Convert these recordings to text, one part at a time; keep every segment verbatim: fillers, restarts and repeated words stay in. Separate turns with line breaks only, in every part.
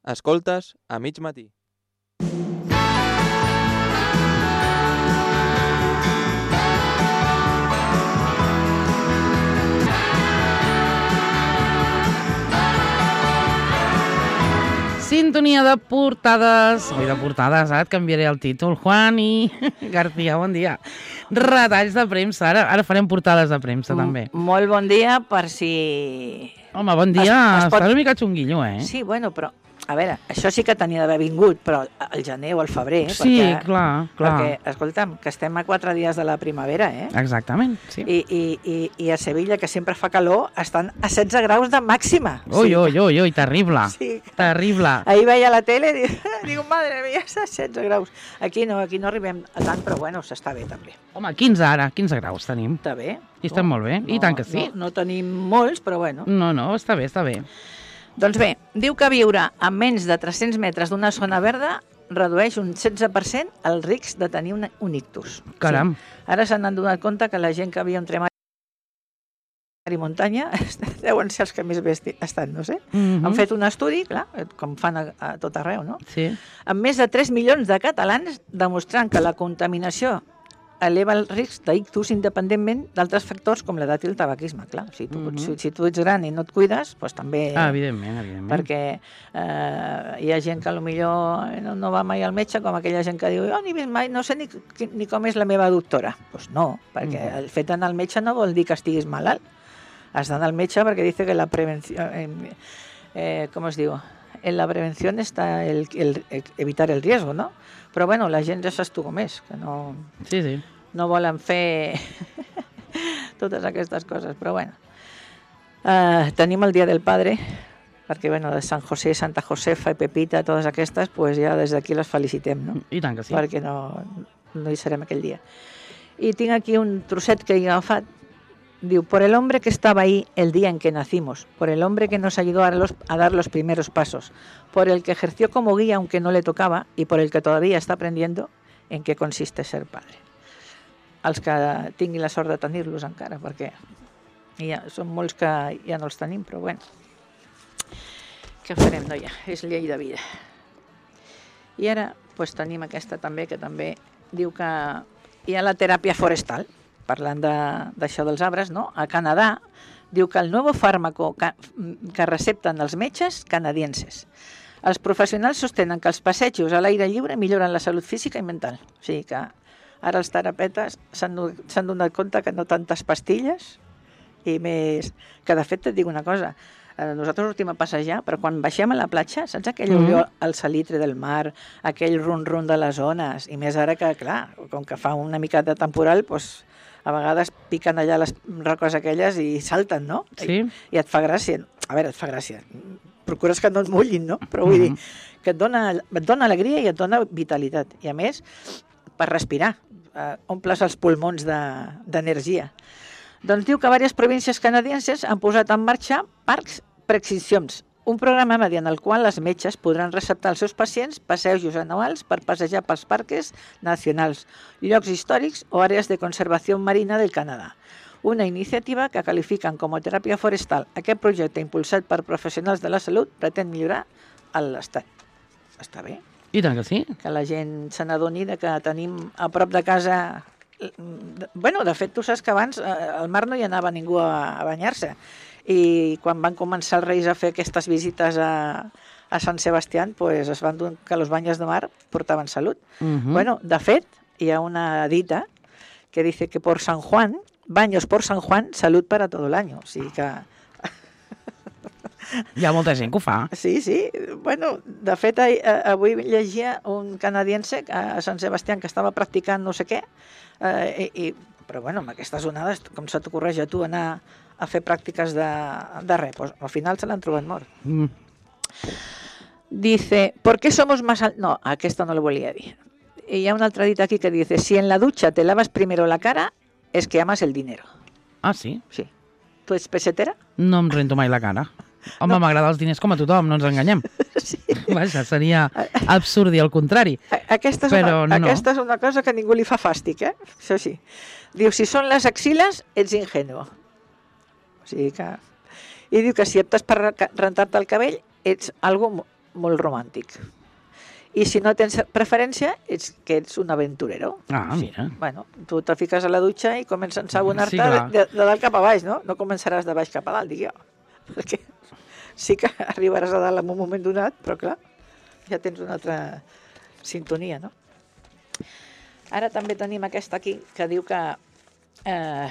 Escoltes a mig matí.
Sintonia de portades. Oi, de portades, ara et canviaré el títol. Juani García, bon dia. Retalls de premsa. Ara, ara farem portades de premsa, també.
Molt bon dia, per si...
Home, bon dia.
Es, es pot...
Estàs una mica xunguillo, eh?
Sí, bueno, però... A veure, això sí que tenia d'haver vingut, però al gener o al febrer.
Sí,
perquè,
clar, clar.
Perquè, escolta'm, que estem a quatre dies de la primavera, eh?
Exactament, sí.
I, i, i, i a Sevilla, que sempre fa calor, estan a setze graus de màxima.
Ui, sí. ui, ui, ui, terrible.
Sí.
Terrible.
Ahir veia la tele i dic, madre mia, setze graus. Aquí no, aquí no arribem a tant, però bueno, s'està bé també.
Home, quinze ara, quinze graus tenim.
Està bé.
I estem
no,
molt bé,
no,
i tant que sí.
No, no tenim molts, però bueno.
No, no, està bé, està bé.
Doncs bé, diu que viure a menys de tres-cents metres d'una zona verda redueix un setze per cent el risc de tenir un, un ictus.
Caram.
Sí. Ara s'han adonat compte que la gent que havia entre mar i muntanya deuen ser els que més bé estan, no sé.
Mm-hmm.
Han fet un estudi, clar, com fan a, a tot arreu, no?
Sí.
Amb més de tres milions de catalans demostrant que la contaminació eleva el risc d'ictus independentment d'altres factors com l'edat i el tabaquisme, clar. Si tu, mm-hmm. si, si tu ets gran i no et cuides, doncs també...
Ah, evidentment, evidentment.
Perquè eh, hi ha gent que potser no, no va mai al metge, com aquella gent que diu oh, ni vist mai, no sé ni, ni com és la meva doctora. Doncs pues no, perquè mm-hmm. el fet d'anar al metge no vol dir que estiguis malalt. Has d'anar al metge perquè dice que la prevenció... Eh, eh, com es diu? En la prevenció està el, el, el evitar el riesgo, no? Però bueno, la gent ja saps tu com és, que no,
sí, sí.
no volen fer totes aquestes coses, però bueno. Uh, tenim el Dia del Padre, perquè bueno, de Sant José, Santa Josefa i Pepita, totes aquestes, pues ja des d'aquí les felicitem, no?
I tant que sí.
Perquè no, no hi serem aquell dia. I tinc aquí un trosset que he agafat. Diu, por el hombre que estaba ahí el día en que nacimos, por el hombre que nos ayudó a, los, a dar los primeros pasos, por el que ejerció como guía aunque no le tocaba y por el que todavía está aprendiendo en qué consiste ser padre. Els que tinguin la sort de tenir-los encara, perquè ja, són molts que ja no els tenim, però bueno, què farem, noia? És llei de vida. I ara pues, tenim aquesta també, que també diu que hi ha la teràpia forestal, parlant d'això de, dels arbres, no? A Canadà diu que el nou fàrmaco que, que recepten els metges canadienses. Els professionals sostenen que els passejos a l'aire lliure milloren la salut física i mental. O sigui que ara els terapeutes s'han donat compte que no tantes pastilles i més... Que de fet et dic una cosa, nosaltres sortim a passejar, però quan baixem a la platja, saps aquell mm. olor al salitre del mar, aquell rum-rum de les ones, i més ara que, clar, com que fa una mica de temporal, doncs a vegades piquen allà les roques aquelles i salten, no?
Sí.
I, i et fa gràcia. A veure, et fa gràcia. Procures que no et mullin, no? Però vull mm-hmm. dir que et dona, et dona alegria i et dona vitalitat. I a més, per respirar, eh, omples els pulmons d'energia. De, doncs diu que diverses províncies canadienses han posat en marxa parcs preextincions, un programa mediant el qual les metges podran receptar als seus pacients passejos anuals per passejar pels parcs nacionals, llocs històrics o àrees de conservació marina del Canadà. Una iniciativa que qualifiquen com a teràpia forestal. Aquest projecte, impulsat per professionals de la salut, pretén millorar l'estat. Està bé.
I tant que sí.
Que la gent se n'adoni que tenim a prop de casa... Bueno, de fet, tu saps que abans al mar no hi anava ningú a banyar-se. I quan van començar els reis a fer aquestes visites a, a Sant Sebastià, pues es van donar que els banyes de mar portaven salut. Uh-huh. Bueno, de fet, hi ha una dita que dice que por San Juan, baños por San Juan, salud para todo el año. O sigui que...
Hi ha molta gent que ho fa.
Sí, sí. Bueno, de fet, avui llegia un canadiense a Sant Sebastià que estava practicant no sé què, eh, i, però bueno, amb aquestes onades, com se t'ocorreix a tu anar a fer pràctiques de, de res, pues, al final se l'han trobat mort. Mm. Dice, ¿por qué somos más altos? No, aquesta no lo volia dir. Y hay una altra dita aquí que dice, si en la ducha te lavas primero la cara, es que amas el dinero.
Ah, sí?
Sí. Tu ets pesetera?
No em rento mai la cara. Home, no. M'agrada els diners com a tothom, no ens enganyem.
Sí.
Vaja, seria absurd i al contrari.
Aquesta és,
però
una,
no.
aquesta és una cosa que ningú li fa fàstic, eh? Això sí. Diu, si són les axiles, ets ingenuo. O sigui que... I diu que si optes per rentar-te el cabell, ets algo molt romàntic. I si no tens preferència, ets que ets un aventurero.
Ah, mira.
Bueno, tu te fiques a la dutxa i comences a ensabonar-te
Sí, clar.
de, de dalt cap a baix, no? No començaràs de baix cap a dalt, dic jo. Perquè sí que arribaràs a dalt en un moment donat, però clar, ja tens una altra sintonia, no? Ara també tenim aquesta aquí, que diu que eh,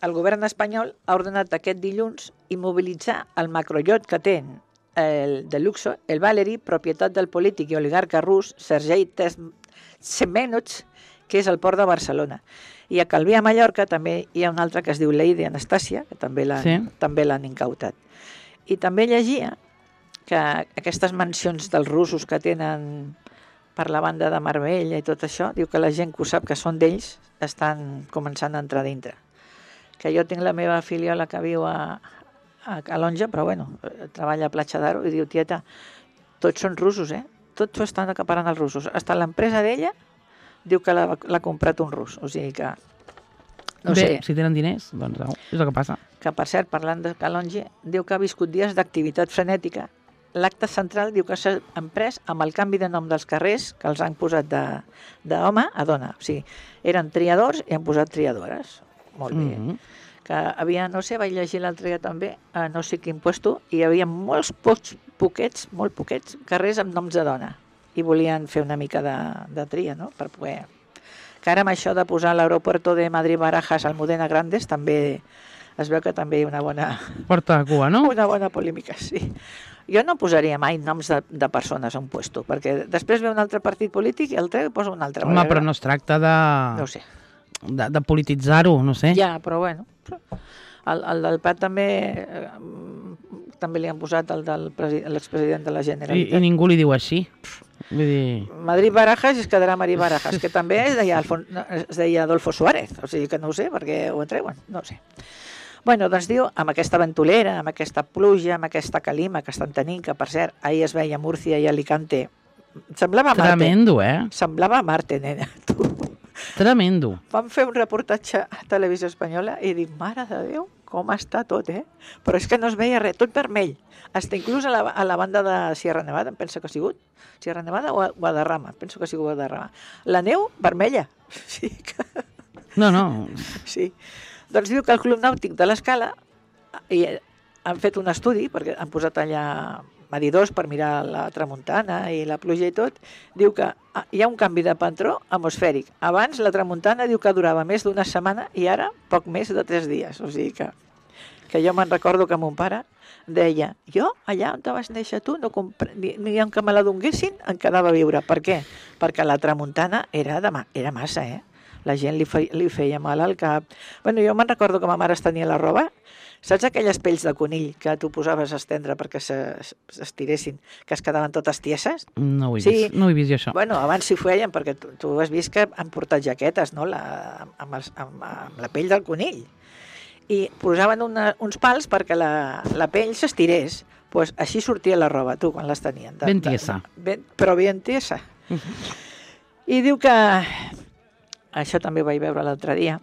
el govern espanyol ha ordenat aquest dilluns immobilitzar el macroiot que té el de luxo, el Valery, propietat del polític i oligarca rus Sergei Tsemenov, que és al port de Barcelona. I a Calví, a Mallorca, també hi ha un altre que es diu Lady Anastàcia, que també l'han
Sí.
també l'han incautat. I també llegia que aquestes mansions dels russos que tenen per la banda de Marbella i tot això, diu que la gent que ho sap que són d'ells estan començant a entrar dintre. Que jo tinc la meva filiola que viu a, a Calonja, però bueno, treballa a Platja d'Aro i diu, tieta, tots són russos, eh? Tots s'ho estan acaparant els russos. Hasta l'empresa d'ella diu que l'ha l'ha comprat un rus, o sigui que no
Bé,
sé,
si tenen diners, doncs au, és el que passa.
que per cert, parlant de Calonge, diu que ha viscut dies d'activitat frenètica. L'acte central diu que s'ha emprès amb el canvi de nom dels carrers, que els han posat de- d'home a dona. O sigui, eren triadors i han posat triadores. Molt bé.
Mhm.
Que havia, no sé, vaig llegir l'altre dia també, a no sé quin puesto, i hi havia molts pocs, poquets, molt poquets carrers amb noms de dona. I volien fer una mica de, de tria, no?, per poder... Que ara amb això de posar l'aeropuerto de Madrid-Barajas al Modena Grandes també es veu que també hi ha una bona,
Porta de cua, no?
una bona polèmica, sí. Jo no posaria mai noms de, de persones a un puesto, perquè després ve un altre partit polític i el treu i posa un altre.
Home, però no es tracta de,
No ho sé.
de, de polititzar-ho, no sé.
Ja, però bueno. El, el del Prat també eh, també li han posat el del presi- l'expresident de la
I,
Generalitat.
I ningú li diu així. Vull dir...
Madrid-Barajas es quedarà Madrid-Barajas, que també es deia, Alfon, no, es deia Adolfo Suárez, o sigui que no ho sé, perquè ho entreuen, no ho sé. Bueno, doncs diu, amb aquesta ventolera, amb aquesta pluja, amb aquesta calima que estan tenint, que per cert, ahir es veia a Múrcia i Alicante, semblava Marte.
Tremendo, eh?
Semblava Marte, nena, tu.
Tremendo.
Vam fer un reportatge a Televisió Espanyola i dic, mare de Déu, com està tot, eh? Però és que no es veia res, tot vermell. Hasta inclús a la, a la banda de Sierra Nevada, em penso que ha sigut. Sierra Nevada o Guadarrama, penso que ha sigut Guadarrama. La neu, vermella. Sí, que...
No, no.
sí. Doncs diu que el Club Nàutic de l'Escala i han fet un estudi, perquè han posat allà medidors per mirar la tramuntana i la pluja i tot, diu que hi ha un canvi de patró atmosfèric. Abans la tramuntana diu que durava més d'una setmana i ara poc més de tres dies. O sigui que, que jo me'n recordo que mon pare deia, jo allà on te vas néixer tu, no compre... ni, ni en que me la donguessin em quedava a viure. Per què? Perquè la tramuntana era, de ma... era massa, eh? La gent li, fe... li feia mal al cap. Bueno, jo me'n recordo que ma mare es tenia la roba. Saps aquelles pells de conill que tu posaves a estendre perquè s'estiressin, que es quedaven totes tieses?
No ho he
Sí.
vist, no ho he vist jo, això.
Bueno, abans s'hi feien, perquè tu, tu has vist que han portat jaquetes, no?, la, amb, els, amb, amb la pell del conill. I posaven una, uns pals perquè la, la pell s'estirés. Pues així sortia la roba, tu, quan les tenien. De,
Ben tiesa.
De, ben, però ben tiesa. I diu que... Això també ho vaig veure l'altre dia.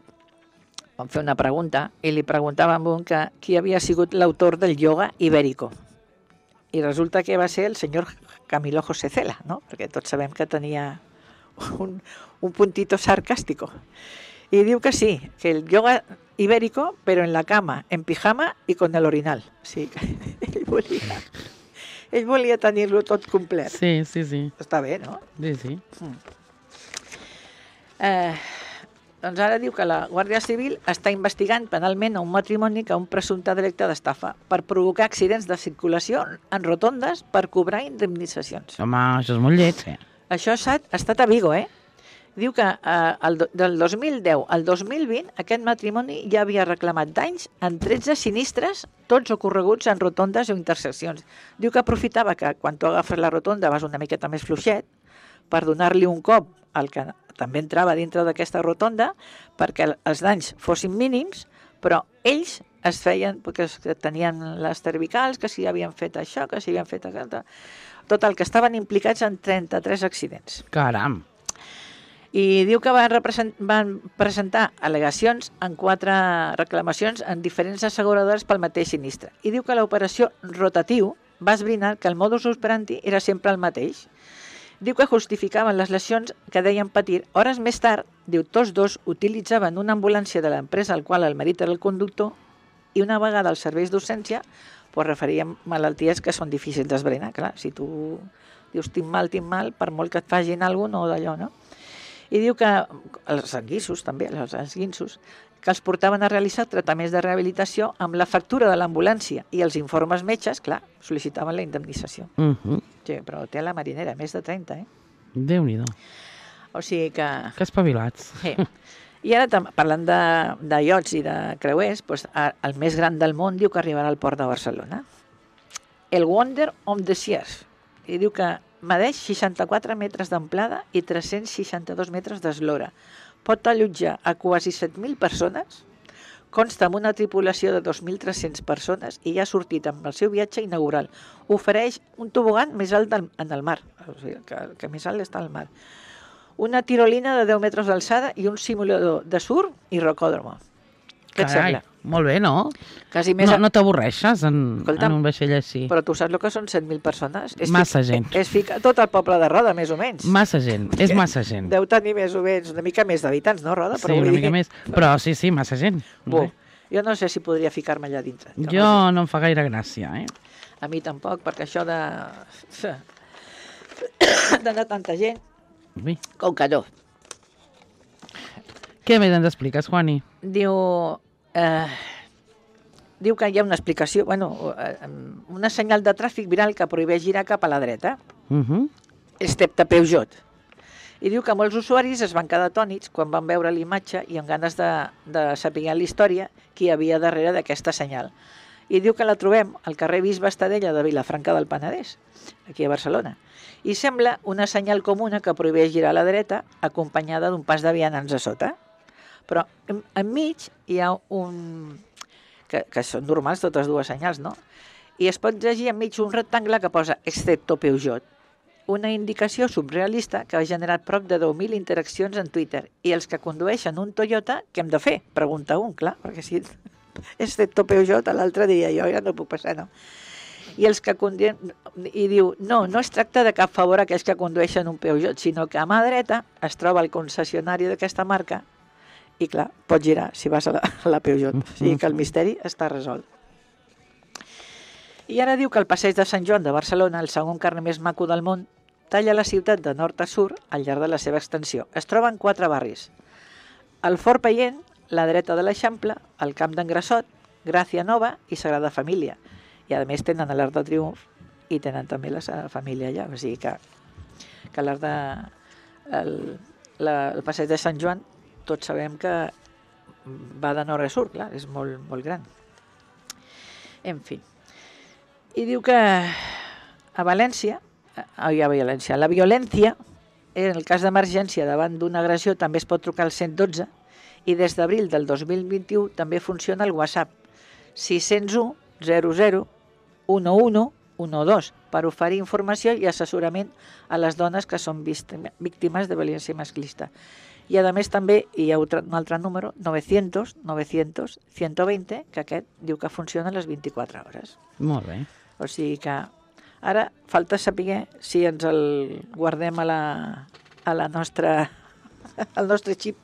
Vam fer una pregunta i li preguntàvem a un que qui havia sigut l'autor del ioga ibérico. I resulta que va ser el senyor Camilo José Cela, no? Perquè tots sabem que tenia un, un puntito sarcàstico. Y diu que sí, que el yoga ibérico, pero en la cama, en pijama y con el orinal. Sí, ell volia, ell volia tenir-lo tot complet.
Sí, sí, sí.
Està bé, no?
Sí, sí.
Eh, doncs ara diu que la Guàrdia Civil està investigant penalment a un matrimoni que un presumpte delicte d'estafa per provocar accidents de circulació en rotondes per cobrar indemnitzacions.
Home, això és molt lleig, eh?
Això ha estat a Vigo, eh? Diu que eh, el, del dos mil deu al dos mil vint aquest matrimoni ja havia reclamat danys en tretze sinistres, tots ocorreguts en rotondes o interseccions. Diu que aprofitava que quan tu agafes la rotonda vas una miqueta més fluixet per donar-li un cop al que també entrava dintre d'aquesta rotonda perquè els danys fossin mínims, però ells es feien, perquè tenien les cervicals, que si havien fet això, que si havien fet això... Total, que estaven implicats en trenta-tres accidents.
Caram.
I diu que van, represent, van presentar al·legacions en quatre reclamacions en diferents asseguradores pel mateix sinistre. I diu que l'operació rotatiu va esbrinar que el modus operandi era sempre el mateix. Diu que justificaven les lesions que deien patir. Hores més tard, diu, tots dos utilitzaven una ambulància de l'empresa al qual el marit era el conductor i una vegada als serveis d'urgència pues, referien malalties que són difícils d'esbrinar. Clar, si tu dius tinc mal, tinc mal, per molt que et facin alguna cosa, no d'allò, no? I diu que els esguissos, també, els esguinços, que els portaven a realitzar tractaments de rehabilitació amb la factura de l'ambulància i els informes metges, clar, sol·licitaven la indemnització.
Uh -huh.
Sí, però té la marinera, més de trenta, eh?
Déu-n'hi-do.
O sigui que...
Que espavilats.
Sí. I ara, parlant de, de iots i de creuers, doncs, el més gran del món diu que arribarà al port de Barcelona. El Wonder of the Seas. I diu que medeix seixanta-quatre metres d'amplada i tres-cents seixanta-dos metres d'eslora. Pot allotjar a quasi set mil persones, consta amb una tripulació de dos mil tres-cents persones i ja ha sortit amb el seu viatge inaugural. Ofereix un tobogan més alt del, en el mar, o sigui, que, que més alt està al mar. Una tirolina de deu metres d'alçada i un simulador de surf i rocòdromo. Què et
Carai,
sembla?
molt bé, no?
Quasi més...
No, no t'avorreixes en,
Escolta'm,
en un vaixell així.
Però tu saps el que són set mil persones? És
Massa
fica,
gent.
És ficar tot el poble de Roda, més o menys.
Massa gent, és massa gent.
Deu tenir més o menys una mica més d'habitants, no, Roda?
Sí, una mica més. Però sí, sí, massa gent.
Bo, jo no sé si podria ficar-me allà dintre.
Jo no em fa gaire gràcia, eh?
A mi tampoc, perquè això de... d'anar tanta gent,
Ui.
com que no.
Què més ens expliques, Juani?
Diu... Eh, diu que hi ha una explicació, bueno, eh, una senyal de tràfic viral que prohibeix girar cap a la dreta,
Uh -huh.
excepte Peugeot. I diu que molts usuaris es van quedar atònits quan van veure l'imatge i amb ganes de, de saber la història qui hi havia darrere d'aquesta senyal. I diu que la trobem al carrer Bisbe Estadella de Vilafranca del Penedès, aquí a Barcelona. I sembla una senyal comuna que prohibeix girar a la dreta acompanyada d'un pas de vianants a sota. Però en, enmig hi ha un... Que, que són normals totes dues senyals, no? I es pot llegir enmig un rectangle que posa excepto Peugeot, una indicació subrealista que ha generat prop de deu mil interaccions en Twitter. I els que condueixen un Toyota, què hem de fer? Pregunta un, clar, perquè si excepto Peugeot, l'altre diria jo, ja no puc passar, no? I els que condueixen... I diu, no, no es tracta de cap favor a aquells que condueixen un Peugeot, sinó que a mà dreta es troba el concessionari d'aquesta marca i, clar, pots girar si vas a la, a la Peugeot. O sigui que el misteri està resolt. I ara diu que el passeig de Sant Joan de Barcelona, el segon carrer més maco del món, talla la ciutat de nord a sud al llarg de la seva extensió. Es troba en quatre barris. El Fort Paient, la dreta de l'Eixample, el Camp d'en Grassot, Gràcia Nova i Sagrada Família. I a més tenen l'Arc de Triomf i tenen també la Sagrada Família allà. O sigui que, que l'Arc de... El, la, el passeig de Sant Joan tots sabem que va de nord a sud, clar, és molt, molt gran. En fi. I diu que a València, oi, a València, la violència, en el cas d'emergència davant d'una agressió també es pot trucar al cent dotze i des d'abril del dos mil vint-i-u també funciona el WhatsApp sis zero u zero zero u u u dos per oferir informació i assessorament a les dones que són víctimes de violència masclista. I a més també hi ha un altre número, novecientos, novecientos, ciento veinte, que aquest diu que funciona a les vint-i-quatre hores.
Molt bé.
O sigui que ara falta saber si ens el guardem a la, a la nostra, al nostre xip,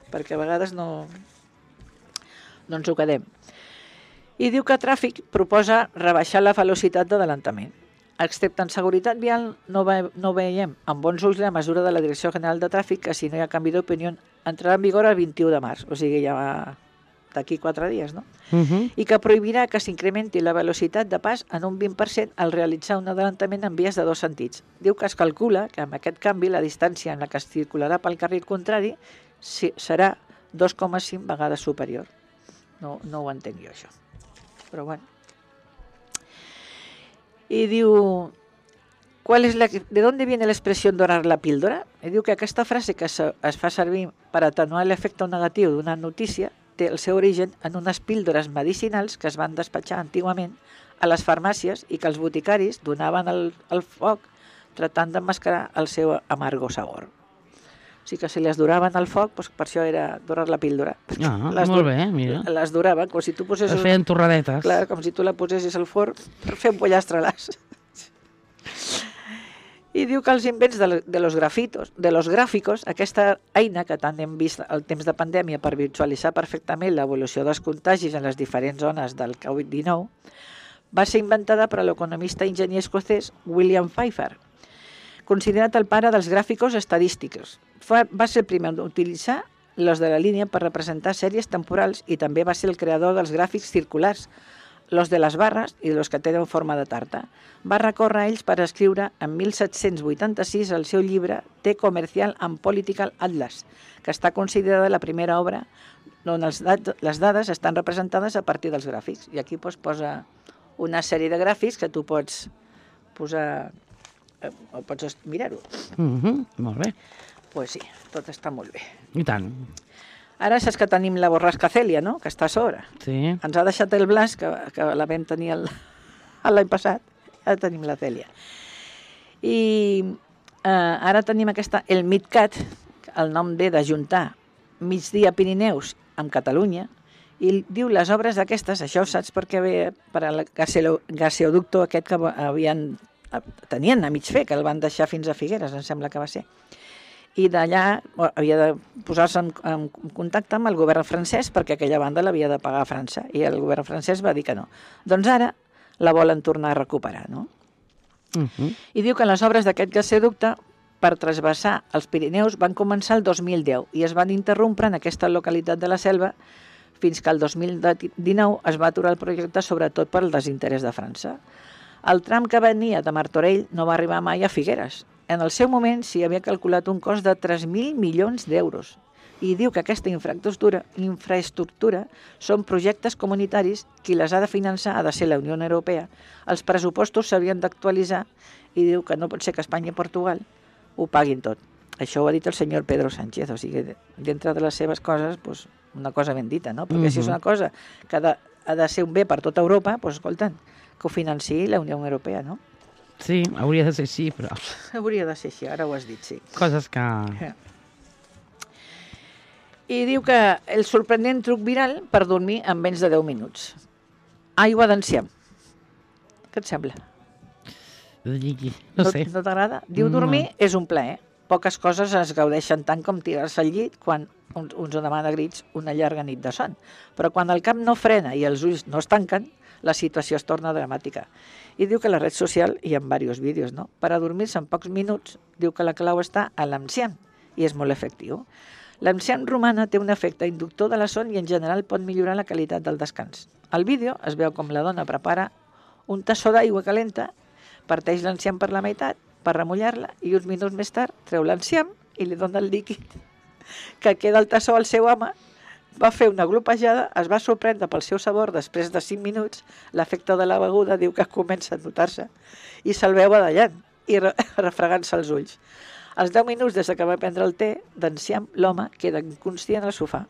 perquè a vegades no, no ens ho quedem. I diu que Tràfic proposa rebaixar la velocitat d'adelantament. Excepte en seguretat vial, no, ve, no veiem amb bons ulls la mesura de la Direcció General de Tràfic que, si no hi ha canvi d'opinió, entrarà en vigor el vint-i-u de març, o sigui, ja va d'aquí quatre dies, no?
Uh -huh.
I que prohibirà que s'incrementi la velocitat de pas en un vint per cent al realitzar un adelantament en vies de dos sentits. Diu que es calcula que amb aquest canvi la distància en la que es circularà pel carril contrari serà dos coma cinc vegades superior. No, no ho entenc jo, això. Però bueno. I diu, ¿cuál es la, ¿de dónde viene la expressió dorar la píldora? I diu que aquesta frase que se, es fa servir per atenuar l'efecte negatiu d'una notícia té el seu origen en unes píldores medicinals que es van despatxar antigament a les farmàcies i que els boticaris donaven al, al foc tratant d'emmascarar el seu amargo sabor. O sigui que si les duraven al foc, doncs per això era dorar la píldora.
Ah,
les
molt bé, mira.
Les duraven, com si tu posessis...
Es feien torradetes.
Clar, com si tu la posessis al forn per fer un pollastre-las. I diu que els invents de, de, los grafitos, de los gràficos, aquesta eina que tant hem vist al temps de pandèmia per visualitzar perfectament l'evolució dels contagis en les diferents zones del covid dinou, va ser inventada per l'economista i enginyer escocès William Pfeiffer, considerat el pare dels gràficos estadístics. Va ser el primer a utilitzar los de la línia per representar sèries temporals i també va ser el creador dels gràfics circulars, los de les barres i los que tenen forma de tarta. Va recórrer a ells per escriure en mil set-cents vuitanta-sis el seu llibre The Commercial and Political Atlas, que està considerada la primera obra on els dat les dades estan representades a partir dels gràfics. I aquí pues, posa una sèrie de gràfics que tu pots posar eh, o pots mirar-ho.
Mm -hmm, molt bé.
Doncs pues sí, tot està molt bé.
I tant.
Ara saps que tenim la borrasca Cèlia, no?, que està a sobre.
Sí.
Ens ha deixat el Blas, que, que la vam tenir l'any passat, ara tenim la Cèlia. I eh, ara tenim aquesta, el MidCat, el nom ve d'ajuntar Migdia Pirineus amb Catalunya, i diu les obres d'aquestes, això ho saps perquè ve per al gaseoducto aquest que havien, tenien a mig fer, que el van deixar fins a Figueres, em sembla que va ser. I d'allà havia de posar-se en, en contacte amb el govern francès perquè aquella banda l'havia de pagar a França i el govern francès va dir que no. Doncs ara la volen tornar a recuperar, no?
Uh -huh.
I diu que les obres d'aquest gasoducte per trasbassar els Pirineus van començar el dos mil deu i es van interrompre en aquesta localitat de la Selva fins que el dos mil dinou es va aturar el projecte sobretot per el desinterès de França. El tram que venia de Martorell no va arribar mai a Figueres. En el seu moment s'hi havia calculat un cost de tres mil milions d'euros i diu que aquesta infraestructura, infraestructura són projectes comunitaris, qui les ha de finançar ha de ser la Unió Europea. Els pressupostos s'havien d'actualitzar i diu que no pot ser que Espanya i Portugal ho paguin tot. Això ho ha dit el senyor Pedro Sánchez, o sigui, dintre de les seves coses, doncs, una cosa ben dita, no? Perquè uh-huh. si és una cosa que ha de, ha de ser un bé per tota Europa, doncs, escolta'm, que ho financiï la Unió Europea, no?
Sí, hauria de ser així, però...
Hauria de ser així, ara ho has dit, sí.
Coses que...
I diu que el sorprenent truc viral per dormir en menys de deu minuts. Aigua d'enciam. Què et sembla?
No sé.
No t'agrada? Diu dormir no. és un plaer. Poques coses es gaudeixen tant com tirar-se al llit quan uns, uns ho demana a grits una llarga nit de son. Però quan el cap no frena i els ulls no es tanquen, la situació es torna dramàtica. I diu que a la red social hi ha diversos vídeos, no? Per a dormir-se en pocs minuts, diu que la clau està a l'enciam i és molt efectiu. L'enciam romana té un efecte inductor de la son i en general pot millorar la qualitat del descans. Al vídeo es veu com la dona prepara un tassó d'aigua calenta, parteix l'enciam per la meitat per remullar-la i uns minuts més tard treu l'enciam i li dona el líquid que queda al tassó al seu home. Va fer una glopejada, es va sorprendre pel seu sabor després de cinc minuts, l'efecte de la beguda diu que comença a notar-se i se'l veu badallant i re refregant-se els ulls. Als deu minuts des que va prendre el té d'enciam, l'home queda inconscient al sofà.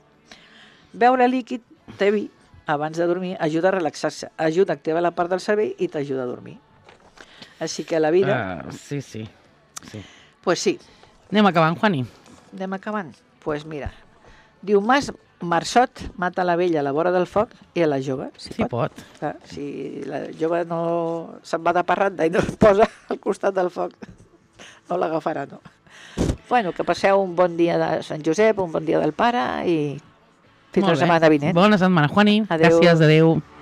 Beure líquid té vi abans de dormir ajuda a relaxar-se, ajuda a activar la part del cervell i t'ajuda a dormir. Així que la vida...
Uh, sí, sí. sí.
Pues sí.
Anem acabant, Juani.
Anem acabant? Pues mira, diu Mas Marçot mata la vella a la vora del foc i a la jove.
Si sí pot. pot.
Clar, si la jove no se'n va de parranda i no es posa al costat del foc, no l'agafarà, no. Bueno, que passeu un bon dia de Sant Josep, un bon dia del pare i fins la setmana vinent.
Bona setmana, Juani.
Adéu.
Gràcies, adéu.